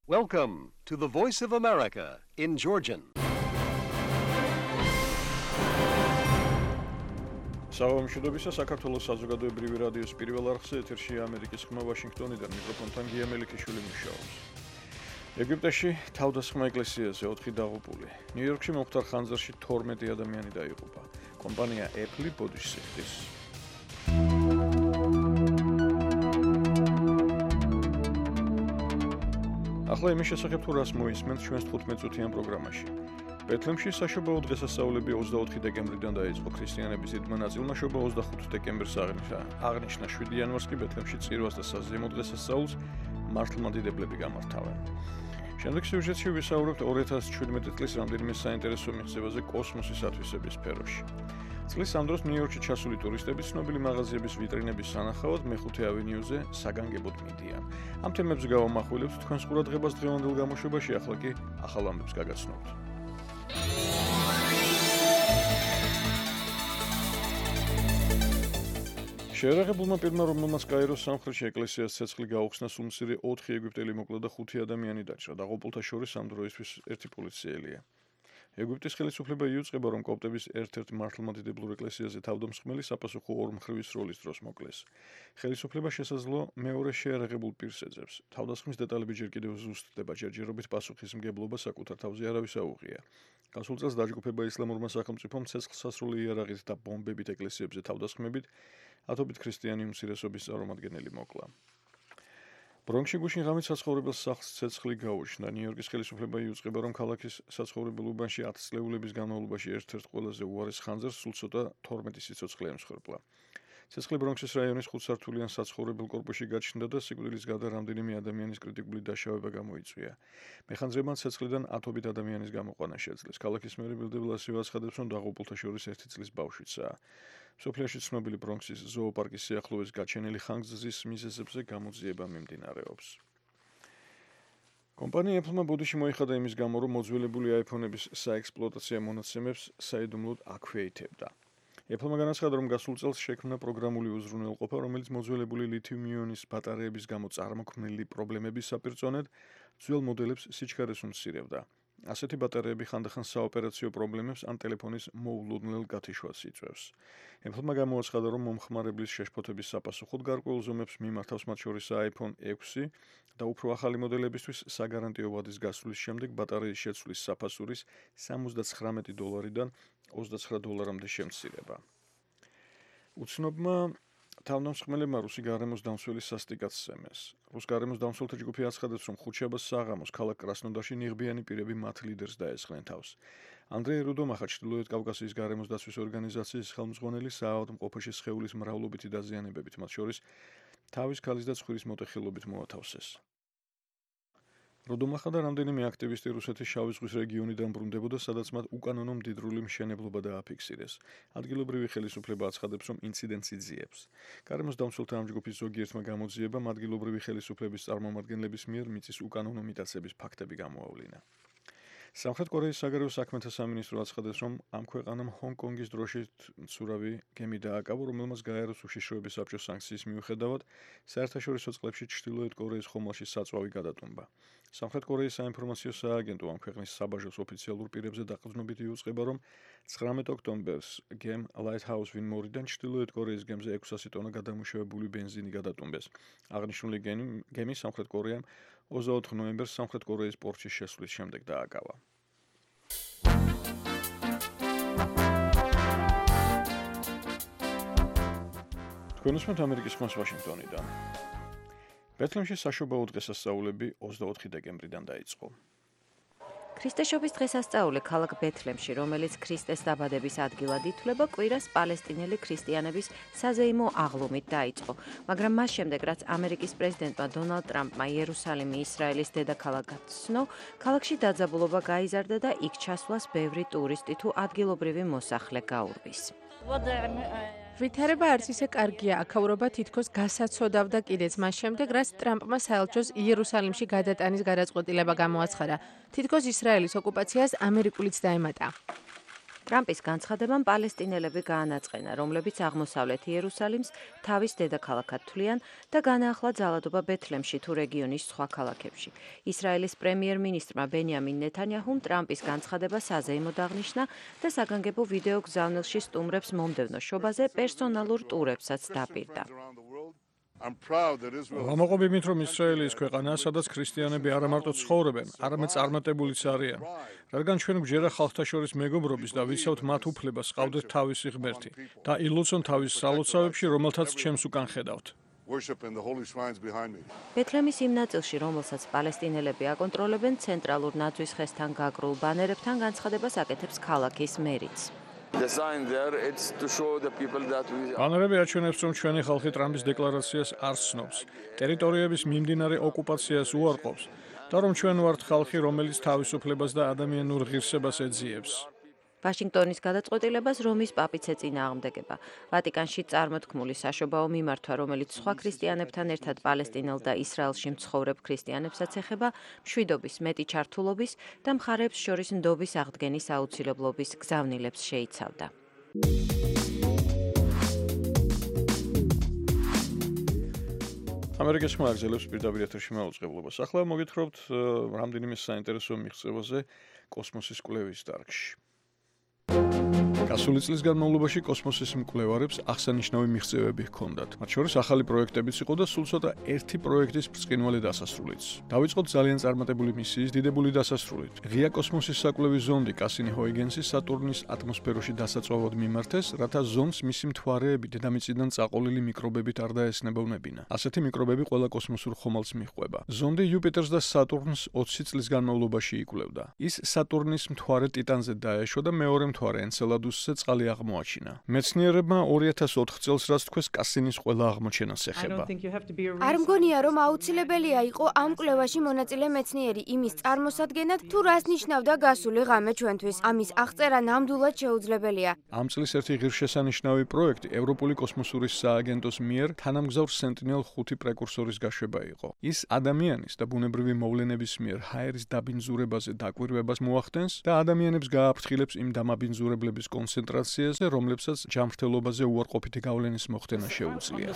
Welcome to the Voice of America in Georgian. Საუბრობისა საქართველოს საზოგადოებრივი რადიოს პირველ არხზე ეთერშია ამერიკის ხმა ვაშინგტონიდან მიკროფონთან გია მელიქიშვილი მუშაობს. ეგვიპტეში თავდასხმა ეკლესიაზე 4 დაღუპული. ნიუ-იორკში მომხდარ ხანძარში 12 ადამიანი დაიღუპა. კომპანია Apple ბოდიშს იხდის. ახლა იმის შესახებ თუ რას მოისმენთ ჩვენს 15 წუთიან პროგრამაში. ბეთლემში საშობაო დღესასწაულები 24 დეკემბრიდან დაიწყო. ქრისტიანების დიდმა ნაწილმა შობა 25 დეკემბერს აღნიშნა. 7 იანვარს კი ბეთლემში წირვას და საზეიმო დღესასწაულს მართლმადიდებლები გამართავენ. შემდეგ სიუჟეტში ვისაუბრებთ 2017 წლის რამდენიმე საინტერესო მიღწევაზე კოსმოსის ათვისების სფეროში. წლის ამ დროს ნიუ-იორკში ჩასული ტურისტები ცნობილი მაღაზიების ვიტრინების სანახავად მეხუთე ავენიუზე საგანგებოდ მიდიან. ამ თემებზე გავამახვილებთ თქვენს ყურადღებას დღევანდელ გამოშვებაში, ახლა კი ახალ ამბებს გაგაცნობთ. შეერაღებულმა პირმა, რომელმაც კაიროს სამხრეთში ეკლესიას ცეცხლი გაუხსნა, სულმცირე 4 ეგვიპტელი მოკლა და 5 ადამიანი დაჭრა. დაღუპულთა შორის ამ დროისთვის ერთი პოლიციელია. ეგვიპტის ხელისუფლება იუწყება, რომ კოპტების ერთ-ერთ მართლმადიდებლურ ეკლესიაზე თავდამსხმელი საპასუხო ორმხრივის როლის დროს მოკლეს. ხელისუფლება შესაძლო მეორე შეერაღებულ პირს ეძებს. თავდასხმის დეტალები ჯერ კიდევ ზუსტდება, ჯერჯერობით პასუხისმგებლობა საკუთარ თავზე არავის აუღია. გასულ წელს დაჯგუფება ისლამურმა სახელმწიფომ ცეცხლსასროლი იარაღით და ბომბებით ეკლესიებზე თავდასხმებით ათობით ქრისტიანი უმცირესობის წარმომადგენელი მოკლა. ბრონქსში გუშინ ღამით საცხოვრებელ სახლს ცეცხლი გაუჩნდა. ნიუ-იორკის ხელისუფლება იუწყება, რომ ქალაქის საცხოვრებელ უბანში 10 წლეულების განმავლობაში ერთ-ერთ ყველაზე უარეს ხანძარს სულ ცოტა 12 სიცოცხლე ემსხვერპლა. ცეცხლი ბრონქსის რაიონის 5 სართულიან საცხოვრებელ კორპუსში გაჩნდა და სიკვდილის გარდა რამდენიმე ადამიანის კრიტიკული დაშავება გამოიწვია. მეხანძრებმა ცეცხლიდან ათობით ადამიანის გამოყვანა შეძლეს. ქალაქის მერი ბილ დე ბლასიო აცხადებს, რომ დაღუპულთა შორის 1 წლის ბავშვიცაა. სოფლიოში ცნობილი ბრონქსის ზოოპარკის სიახლოვეს გაჩენილი ხანგრძლივი მიზეზებზე გამოძიება მიმდინარეობს. კომპანია Apple-მა ბოდიში მოიხადა იმის გამო, რომ მოძველებული iPhone-ების საექსპლუატაციო მონაცემებს საიდუმლოდ აქვეითებდა. Apple-მა განაცხადა, რომ გასულ წელს შექმნა პროგრამული უზრუნველყოფა, რომელიც მოძველებული ლითიუმ-იონის ბატარეების გამო წარმოქმნილი პრობლემების საპირწონედ ძველ მოდელებს სიჩქარეს უმცირებდა. ასეთი ბატარეები ხანდახან საოპერაციო პრობლემებს ან ტელეფონის მოულოდნელ გათიშვას იწვევს. Apple-მა გამოაცხადა, რომ მომხმარებლის შეშფოთების sapasუხოდ გარკვეულ ზომებს მიმართავს, მათ შორისაა iPhone 6 და უფრო ახალი მოდელებისთვის საგარანტიო ვადის გასვლის შემდეგ ბატარეის შეცვლის საფასურის $79-დან $29-მდე შემცირება. უცნობმა თავდამსხმელებმა რუსი გარემოს დამცველი სასტიკად სცემეს. რუს გარემოს დამცველთა ჯგუფი აცხადებს, რომ ხუთშაბათს საღამოს ქალაქ კრასნოდარში ნიღბიანი პირები მათ ლიდერს დაესხნენ თავს. ანდრეი რუდომახა, ჩრდილოეთ კავკასიის გარემოს დაცვის ორგანიზაციის ხელმძღვანელი, საავადმყოფოში სხეულის მრავლობითი დაზიანებებით, მათ შორის თავის ქალის და ცხვირის მოტეხილობით მოათავსეს. რუდომახა და რამდენიმე აქტივისტი რუსეთის შავი ზღვის რეგიონიდან ბრუნდებოდა, სადაც მათ უკანონო მდიდრული მშენებლობა დააფიქსირეს. ადგილობრივი ხელისუფლება აცხადებს, რომ ინციდენტს იძიებს. გარემოს დამცველთა ამ ჯგუფის ზოგიერთმა გამოძიებამ ადგილობრივი ხელისუფლების წარმომადგენლების მიერ მიწის უკანონო მიტაცების ფაქტები გამოავლინა. სამხრეთ კორეის საგარეო საქმეთა სამინისტრო აცხადებს, რომ ამ ქვეყანამ ჰონგ-კონგის დროშით მცურავი გემი დააკავა, რომელმაც გაეროს უშიშროების საბჭოს სანქციის მიუხედავად საერთაშორისო წყლებში ჩრდილოეთ კორეის ხომალდში საწვავი გადატუმბა. სამხრეთ კორეის საინფორმაციო სააგენტო ამ ქვეყნის საბაჟოს ოფიციალურ პირებზე დაყრდნობით იუწყება, რომ 19 ოქტომბერს გემ Lighthouse Win-მორიდან ჩრდილოეთ კორეის გემზე 600 ტონა გადამუშავებული ბენზინი გადატუმბეს. აღნიშნული გემი სამხრეთ კორეამ 24 ნოემბერს სამხრეთ კორეის პორტში შესვლის შემდეგ დააკავა. თქვენ უსმენთ ამერიკის ხმას ვაშინგტონიდან. ბეთლემში საშობაო დღესასწაულები 24 დეკემბრიდან დაიწყო. ქრისტეშობის დღესასწაული ქალაქ ბეთლემში, რომელიც ქრისტეს დაბადების ადგილად ითვლება, კვირას პალესტინელი ქრისტიანების საზეიმო აღლუმით დაიწყო. მაგრამ მას შემდეგ, რაც ამერიკის პრეზიდენტმა დონალდ ტრამპმა იერუსალიმი ისრაელის დედაქალაქად ცნო, ქალაქში დაძაბულობა გაიზარდა და იქ ჩასვლას ბევრი ტურისტი თუ ადგილობრივი მოსახლე გაურბის. ვითარება არც ისე კარგია, აქაურობა თითქოს გასაცოდავდა კიდეც მას შემდეგ, რაც ტრამპმა საელჩოს იერუსალიმში გადატანის გადაწყვეტილება გამოაცხადა. თითქოს ისრაელის ოკუპაციას ამერიკულიც დაემატა. ტრამპის განცხადებამ პალესტინელები გაანაწყენა, რომლებიც აღმოსავლეთ იერუსალიმს თავის დედაქალაქად თვლიან და განაახლა ძალადობა ბეთლემში თუ რეგიონის სხვა ქალაქებში. ისრაელის პრემიერ-მინისტრმა ბენიამინ ნეთანიაჰუმ ტრამპის განცხადება საზეიმოდ აღნიშნა და საგანგებო ვიდეო გზავნილში სტუმრებს მომდევნო შობაზე პერსონალურ ტურებსაც დაპირდა. ვამაყობ იმით, რომ ისრაელი ის ქვეყანაა, სადაც ქრისტიანები არა მარტო ცხოვრობენ, არამედ წარმატებულიც არიან. რადგან ჩვენ გვჯერა ხალხთა შორის მეგობრობის და ვიცავთ მათ უფლებას, ყავდეთ თავისი ღმერთი და ილოცონ თავის სალოცავებში, რომელთაც ჩემს უკან ხედავთ. ბეთლემის იმ ნაწილში, რომელსაც პალესტინელები აკონტროლებენ, ცენტრალურ ნაძვის ხესთან გაგრულ ბანერებთან განცხადებას აკეთებს ქალაქის მერიც. ბანერები აჩვენებს, რომ ჩვენი ხალხი ტრამპის დეკლარაციას არ სცნობს, ტერიტორიების მიმდინარე ოკუპაციას უარყოფს და რომ ჩვენ ვართ ხალხი, რომელიც თავისუფლებას და ადამიანურ ღირსებას ეძიებს. ვაშინგტონის გადაწყვეტილებას რომის პაპიც ეწინააღმდეგება. ვატიკანში წარმოთქმული საშობაო მიმართვა, რომელიც სხვა ქრისტიანებთან ერთად პალესტინელ და ისრაელში მცხოვრებ ქრისტიანებსაც ეხება, მშვიდობის, მეტი ჩართულობის და მხარეებს შორის ნდობის აღდგენის აუცილებლობის გზავნილებს შეიცავდა. ამერიკის ხმა აგზელებს პირდაპირ ეთერში მაუწყებლობას. ახლა მოგითხრობთ რამდენიმე საინტერესო მიღწევაზე კოსმოსის კვლევის დარგში. გასული წლის განმავლობაში კოსმოსის მკვლევარებს აღსანიშნავი მიღწევები ჰქონდათ. მათ შორის ახალი პროექტებიც იყო და სულ ცოტა ერთი პროექტის ბრწყინვალე დასასრულიც. დავიწყოთ ძალიან წარმატებული მისიის დიდებული დასასრულით. ღია კოსმოსის საკვლევი ზონდი კასინი-ჰოიგენსი სატურნის ატმოსფეროში დასაწვავად მიმართეს, რათა ზონდს მისი მთვარეები დედამიწიდან წაყოლილი მიკრობებით არ დაესნებოვნებინა. ასეთი მიკრობები ყველა კოსმოსურ ხომალდს მიჰყვება. ზონდი იუპიტერს და სატურნს 20 წლის განმავლობაში იკვლევდა. ის სატურნის მთვარე ტიტანზე დაეშვა და მეორე მთვარე ენცელადუსზე წყალი აღმოაჩინა. მეცნიერებმა 2004 წელს რაც თქვეს კასინის ყველა აღმოჩენას ეხება. არ მგონია, რომ აუცილებელია იყო ამ კვლევაში მონაწილე მეცნიერი იმის წარმოსადგენად, თუ რას ნიშნავდა გასული ღამე ჩვენთვის. ამის აღწერა ნამდვილად შეუძლებელია. ამ წლის ერთი ღირსშესანიშნავი პროექტი ევროპული კოსმოსური სააგენტოს მიერ თანამგზავრ Sentinel-5 პრეკურსორის გაშვება იყო. ის ადამიანის და ბუნებრივი მოვლენების მიერ ჰაერის დაბინძურებაზე დაკვირვებას მოახდენს და ადამიანებს გააფრთხილებს იმ დამაბინძურებლების კონცენტრაციაზე, რომლებსაც ჯანმრთელობაზე უარყოფითი გავლენის მოხდენა შეუძლია.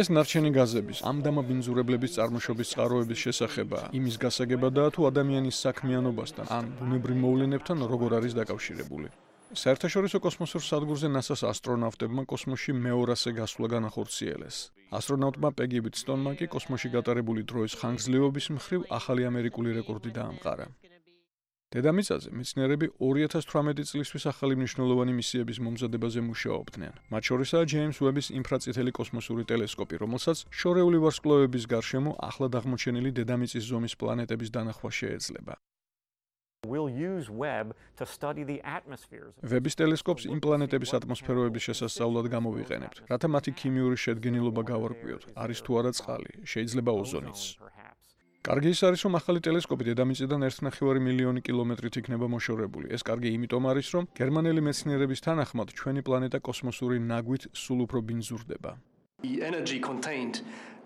ეს ნარჩენი გაზების ამ დამაბინძურებლების წარმოშობის წყაროების შესახება იმის გასაგებადაა, თუ ადამიანის საქმიანობასთან ან ბუნებრივ მოვლენებთან როგორ არის დაკავშირებული. საერთაშორისო კოსმოსურ სადგურზე NASA-ს ასტრონავტებმა კოსმოსში მეორასე გასვლა განახორციელეს. ასტრონავტმა პეგი ვიტსტონმა კი კოსმოსში გატარებული დროის ხანგრძლივობის მხრივ ახალი ამერიკული რეკორდი დაამყარა. დედამიწაზე მეცნიერები 2018 წლისთვის ახალი მნიშვნელოვანი მისიების მომზადებაზე მუშაობდნენ. მათ შორისაა ჯეიმს უების ინფრაწითელი კოსმოსური ტელესკოპი, რომელსაც შორეული ვარსკვლავების გარშემო ახლად აღმოჩენილი დედამიწის ზომის პლანეტების დანახვა შეეძლება. ვების ტელესკოპს იმ პლანეტების ატმოსფეროების შესასწავლად გამოვიყენებთ, რათა მათი ქიმიური შედგენილობა გავარკვიოთ, არის თუ არა წყალი, შეიძლება ოზონიც. კარგი ის არის, რომ ახალი ტელესკოპი დედამიწიდან 1,5 მილიონი კილომეტრით იქნება მოშორებული. ეს კარგი იმიტომ არის, რომ გერმანელი მეცნიერების თანახმად ჩვენი პლანეტა კოსმოსური ნაგვით სულ უფრო ბინძურდება.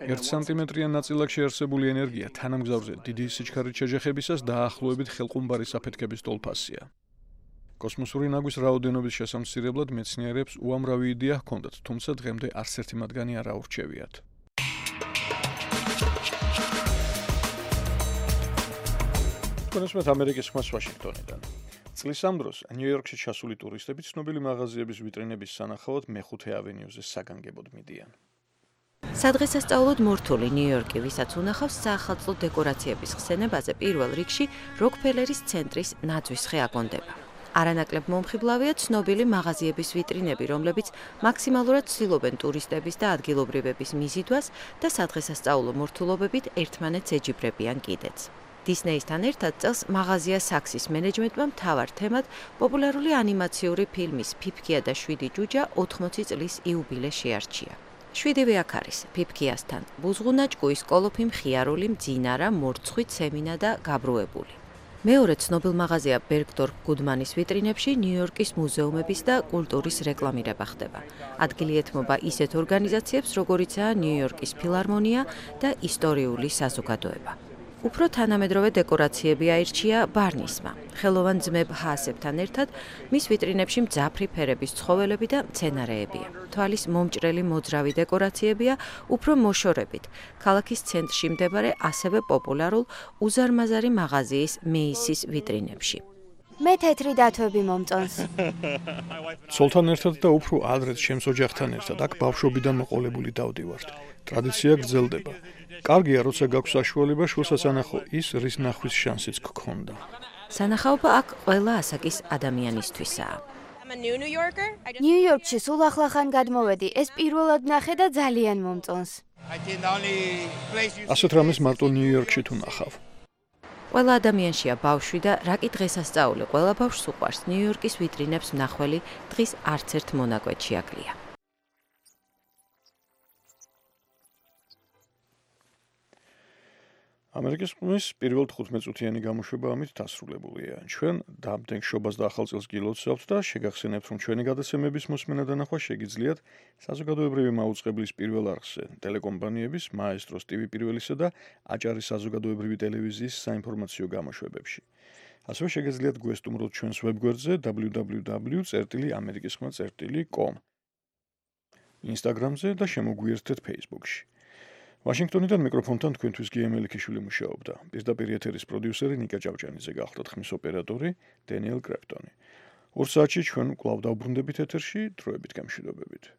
1 სანტიმეტრიან ნაწილაკში არსებული ენერგია თანამგზავრზე დიდი სიჩქარით შეჯახებისას დაახლოებით ხელყუმბარის საფეთქების ტოლფასია. კოსმოსური ნაგვის რაოდენობის შესამცირებლად მეცნიერებს უამრავი იდეა ჰქონდათ, თუმცა დღემდე არც ერთი მათგანი არ აურჩევიათ. კონსმეთ ამერიკის ხმას ვაშინგტონიდან. წლის ამ დროს ნიუ-იორკში ჩასული ტურისტები ცნობილი მაღაზიების ვიტრინების სანახავად მეხუთე ავენიუზე საგანგებოდ მიდიან. სადღესასწაულოდ მორთული ნიუ-იორკი, ვისაც უნახავს საახალწლო დეკორაციების ხსენებაზე, პირველ რიგში როკფელერის ცენტრის ნაძვის ხე აკონდება. არანაკლებ მომხიბლავია ცნობილი მაღაზიების ვიტრინები, რომლებიც მაქსიმალურად ცდილობენ ტურისტების და ადგილობრივების მიზიდვას და სადღესასწაულო მორთულობებით ერთმანეთს ეჯიბრებიან კიდეც. დისნეისთან ერთად წელს მაღაზია საქსის მენეჯმენტმა მთავარ თემად პოპულარული ანიმაციური ფილმის „ფიფქია და 7 ჯუჯა“ 80 წლის იუბილე შეარჩია. 7-ვე აქ არის ფიფქიასთან: ბუზღუნა, ჭკუის კოლოფი, მხიარული, მძინარა, მორცხვი, ცემინა და გაბრუებული. მეორე ცნობილ მაღაზია ბერგდორფ გუდმანის ვიტრინებში ნიუ-იორკის მუზეუმების და კულტურის რეკლამირება ხდება. ადგილი ეთმობა ისეთ ორგანიზაციებს, როგორიცაა ნიუ-იორკის ფილარმონია და ისტორიული საზოგადოება. უფრო თანამედროვე დეკორაციები აირჩია ბარნისმა. ხელოვან ძმებ ჰაასებთან ერთად მის ვიტრინებში მძაფრი ფერების ცხოველები და მცენარეებია. თვალის მომჭრელი მოძრავი დეკორაციებია უფრო მოშორებით. ქალაქის ცენტრში მდებარე ასევე პოპულარულ უზარმაზარი მაღაზიის მეისის ვიტრინებში. მე თეთრი დათვები მომწონს. ცოლთან ერთად და უფრო ადრეც ჩემს ოჯახთან ერთად აქ ბავშვობიდან მოყოლებული დავდივართ. ტრადიცია გრძელდება. კარგია, როცა გაქვს საშუალება, შულსაც ანახო ის, რის ნახვის შანსიც გქონდა. სანახაობა აქ ყველა ასაკის ადამიანისთვისაა. ნიუ-იორკში სულ ახლახან გადმოვედი. ეს პირველად ნახე და ძალიან მომწონს. ასეთ რამეს მარტო ნიუ-იორკში თუ ნახავ. ყველა ადამიანშია ბავშვი და რაკი დღესასწაული ყველა ბავშვს უყვარს. ნიუ-იორკის ვიტრინებს მნახველი დღის არც ერთ მონაკვეთში აკლია. ამერიკის ყმის პირველ 15 წუთიანი გამოშვება ამით დასრულებულია. ჩვენ დამდგენ შობას და ახალ წელს გილოცავთ და შეგახსენებთ, რომ ჩვენი გადაცემების მოსმენა და ნახვა შეგიძლიათ საზოგადოებრივი მაუწყებლის პირველ არხზე, ტელეკომპანიების მაესტროს TV პირველისა და აჭარის საზოგადოებრივი ტელევიზიის საინფორმაციო გამოშვებებში. ასევე შეგიძლიათ გვესტუმროთ ჩვენს ვებგვერდზე www.amerikiskhma.com, Instagram-ზე და შემოგვიერთდეთ Facebook-ში. ვაშინგტონიდან მიკროფონთან თქვენთვის გიემელი ქიშვილი მუშაობდა. პირდაპირ ეთერის პროდიუსერი ნიკა ჭავჭანიძე გახლდათ ხმის ოპერატორი დენიელ კრეპტონი. 2 საათში ჩვენ კვლავ დავბრუნდებით ეთერში, დროებით გამშვიდობებით.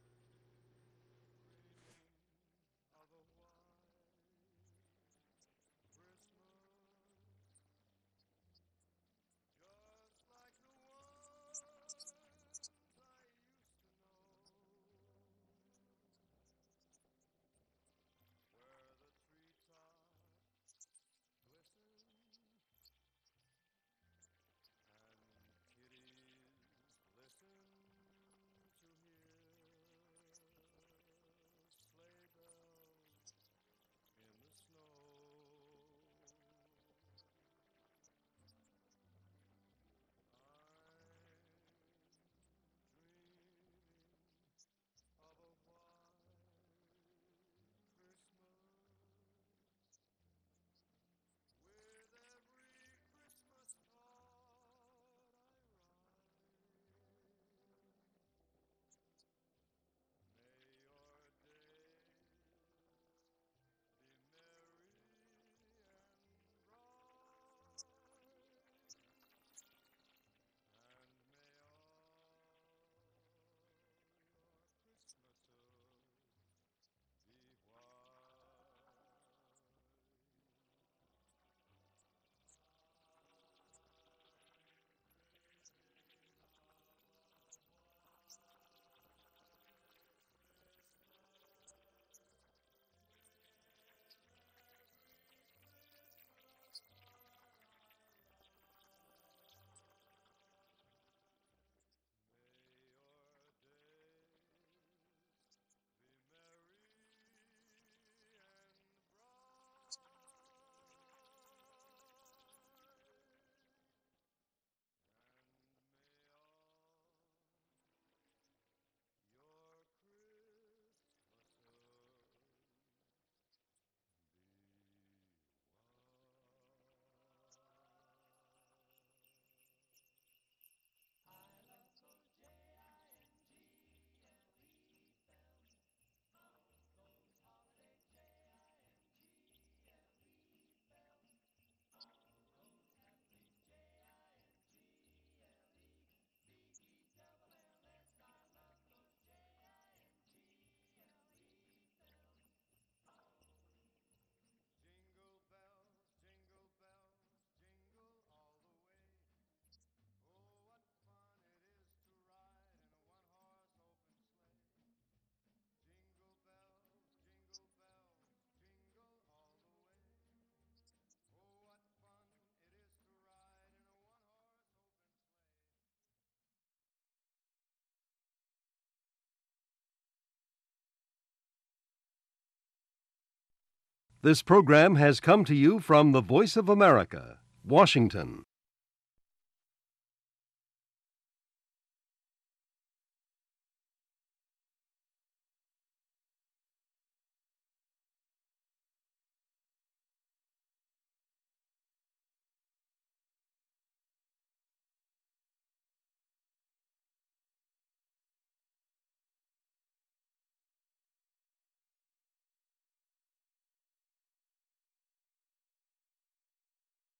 This program has come to you from the Voice of America, Washington.